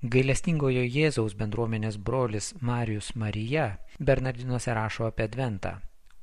Gailestingojo Jėzaus bendruomenės brolis Marijus Marija Bernardinuose rašo apie Adventą.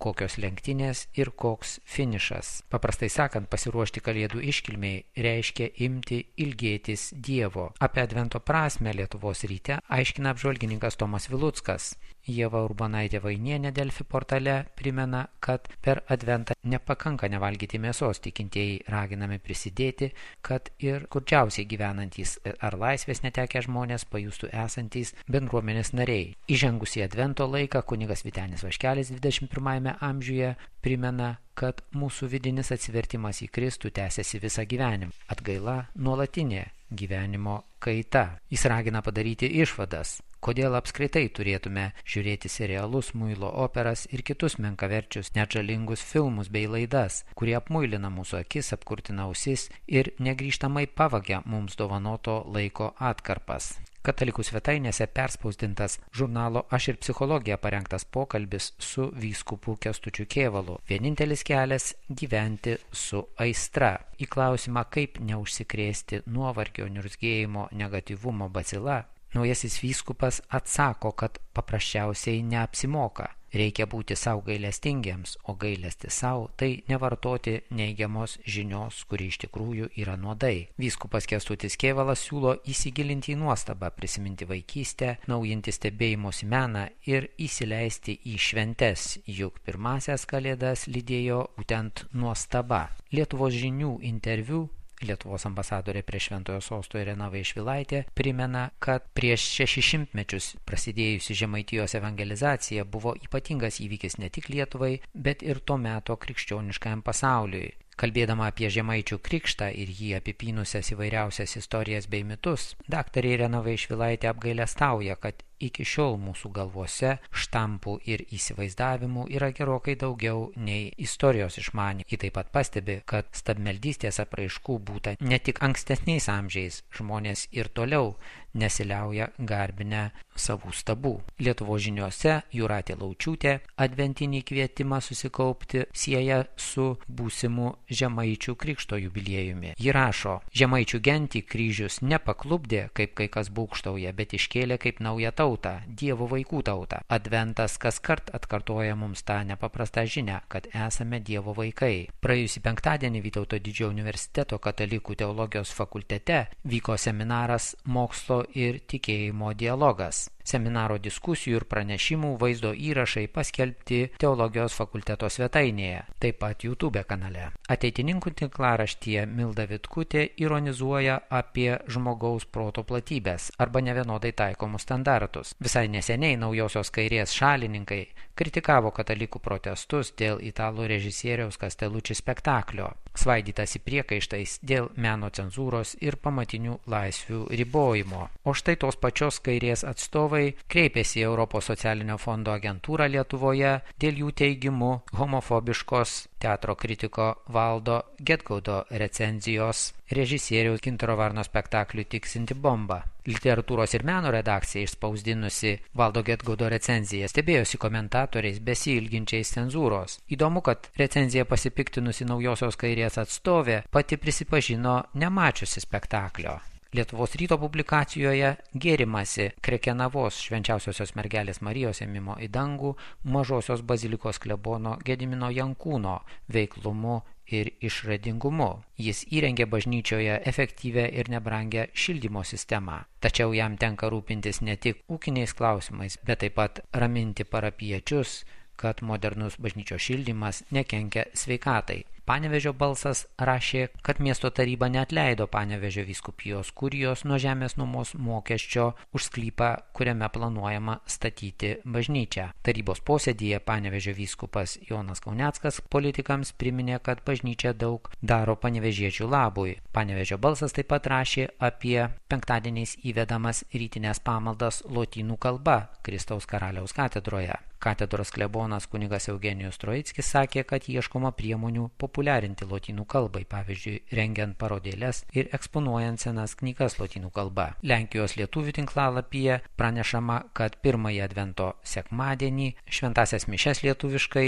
Kokios lenktynės ir koks finišas. Paprastai sakant, pasiruošti Kalėdų iškilmiai reiškia imti ilgėtis Dievo. Apie Advento prasmę Lietuvos ryte aiškina apžvalgininkas Tomas Viluckas. Ieva Urbanaitė Vainienė Delfi portale primena, kad per Adventą nepakanka nevalgyti mėsos, tikintieji raginami prisidėti, kad ir skurdžiausiai gyvenantys ar laisvės netekę žmonės pajustų esantys bendruomenės nariai. Įžengus į Advento laiką, kunigas Vytenis Vaškelis 21 amžiuje primena, kad mūsų vidinis atsivertimas į Kristų tęsiasi visą gyvenimą. Atgaila nuolatinė gyvenimo kaita. Jis ragina padaryti išvadas. Kodėl apskritai turėtume žiūrėti serialus, muilo operas ir kitus menkaverčius, net žalingus filmus bei laidas, kurie apmuilina mūsų akis, apkurtina ausis ir negrįžtamai pavagia mums dovanoto laiko atkarpas. Katalikų svetainėse perspausdintas žurnalo Aš ir psichologija parengtas pokalbis su vyskupu Kęstučiu Kėvalu. Vienintelis kelias - gyventi su aistra. Į klausimą, kaip neužsikrėsti nuovargio, niurzgėjimo, negatyvumo bacila, naujasis vyskupas atsako, kad paprasčiausiai neapsimoka. Reikia būti sau gailestingiems, o gailestis sau tai nevartoti neigiamos žinios, kuri iš tikrųjų yra nuodai. Vyskupas Kęstutis Kėvalas siūlo įsigilinti į nuostabą, prisiminti vaikystę, naujinti stebėjimosi meną ir įsileisti į šventes, juk pirmasias Kalėdas lydėjo būtent nuostaba. Lietuvos žinių interviu Lietuvos ambasadorė prie Šventojo sosto Irena Vaišvilaitė primena, kad prieš 600 mečius prasidėjusi Žemaitijos evangelizacija buvo ypatingas įvykis ne tik Lietuvai, bet ir to meto krikščioniškajam pasauliui. Kalbėdama apie žemaičių krikštą ir jį apipynusias įvairiausias istorijas bei mitus, daktarė Irena Vaišvilaitė apgailestauja, kad iki šiol mūsų galvose štampų ir įsivaizdavimų yra gerokai daugiau nei istorijos išmanymų. Ji taip pat pastebi, kad stabmeldystės apraiškų būta ne tik ankstesniais amžiais, žmonės ir toliau nesiliauja garbinę savų stabų. Lietuvos žiniose Jūratė Laučiūtė adventinį kvietimą susikaupti sieja su būsimu žemaičių krikšto jubiliejumi. Ji rašo: Žemaičių gentį kryžius nepaklupdė, kaip kai kas būgštauja, bet iškėlė kaip naują tautą, Dievo vaikų tautą. Adventas kaskart atkartoja mums tą nepaprastą žinią, kad esame Dievo vaikai. Praėjusį penktadienį Vytauto Didžiojo universiteto katalikų teologijos fakultete vyko seminaras Mokslo ir tikėjimo dialogas. Seminaro diskusijų ir pranešimų vaizdo įrašai paskelbti teologijos fakulteto svetainėje, taip pat YouTube kanale. Ateitininkų tinklaraštyje Milda Vitkutė ironizuoja apie žmogaus proto platybės arba nevienodai taikomus standartus. Visai neseniai naujosios kairės šalininkai kritikavo katalikų protestus dėl italų režisieriaus Castellucci spektaklio, svaidytasi priekaištais dėl meno cenzūros ir pamatinių laisvių ribojimo. O štai tos pačios kairės atstovai kreipėsi į Europos socialinio fondo agentūrą Lietuvoje dėl jų teigimu homofobiškos teatro kritiko Valdo Gedgaudo recenzijos režisieriaus Gintaro Varno spektakliui Tiksinti bomba. Literatūros ir meno redakcija išspausdinusi Valdo Gedgaudo recenziją stebėjosi komentatoriais besiilginčiais cenzūros. Įdomu, kad recenziją pasipiktinusi naujosios kairės atstovė pati prisipažino nemačiusi spektaklio. Lietuvos ryto publikacijoje gėrimasi Krekenavos švenčiausiosios mergelės Marijos ėmimo į dangų Mažosios bazilikos klebono Gedimino Jankūno veiklumu ir išradingumu. Jis įrengė bažnyčioje efektyvę ir nebrangę šildymo sistemą. Tačiau jam tenka rūpintis ne tik ūkiniais klausimais, bet taip pat raminti parapiečius, kad modernus bažnyčios šildymas nekenkia sveikatai. Panevėžio balsas rašė, kad miesto taryba neatleido Panevėžio vyskupijos kurijos nuo žemės nuomos mokesčio už sklypą, kuriame planuojama statyti bažnyčią. Tarybos posėdyje Panevėžio vyskupas Jonas Kauneckas politikams priminė, kad bažnyčia daug daro panevėžiečių labui. Panevėžio balsas taip pat rašė apie penktadieniais įvedamas rytinės pamaldas lotynų kalba Kristaus karaliaus katedroje. Katedros klebonas kunigas Eugenijus Troickis sakė, kad ieškoma priemonių populiarinti lotynų kalbai, pavyzdžiui, rengiant parodėles ir eksponuojant senas knygas lotynų kalba. Lenkijos lietuvių tinklalapyje pranešama, kad pirmąjį advento sekmadienį šventasias mišias lietuviškai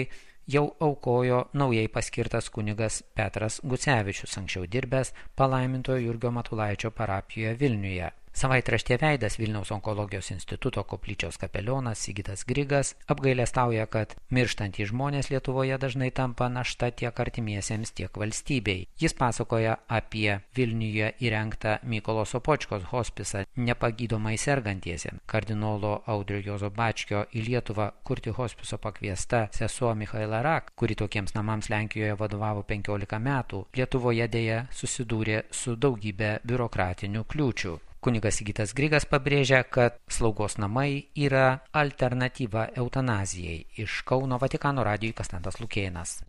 jau aukojo naujai paskirtas kunigas Petras Gucevičius, anksčiau dirbęs palaimintojo Jurgio Matulaičio parapijoje Vilniuje. Savaitraštė Veidas Vilniaus onkologijos instituto koplyčios kapelionas Sigitas Grigas apgailestauja, kad mirštantys žmonės Lietuvoje dažnai tampa našta tiek artimiesiems, tiek valstybei. Jis pasakoja apie Vilniuje įrengtą Mykolo Sopočkos hospisą nepagydomai sergantiesiems. Kardinolo Audrio Juozo Bačkio į Lietuvą kurti hospiso pakviesta sesuo Michaela Rak, kuri tokiems namams Lenkijoje vadovavo 15 metų, Lietuvoje dėja susidūrė su daugybė biurokratinių kliūčių. Kunigas Sigitas Grigas pabrėžia, kad slaugos namai yra alternatyva eutanazijai. Iš Kauno Vatikano radijui Konstantas Lukėnas.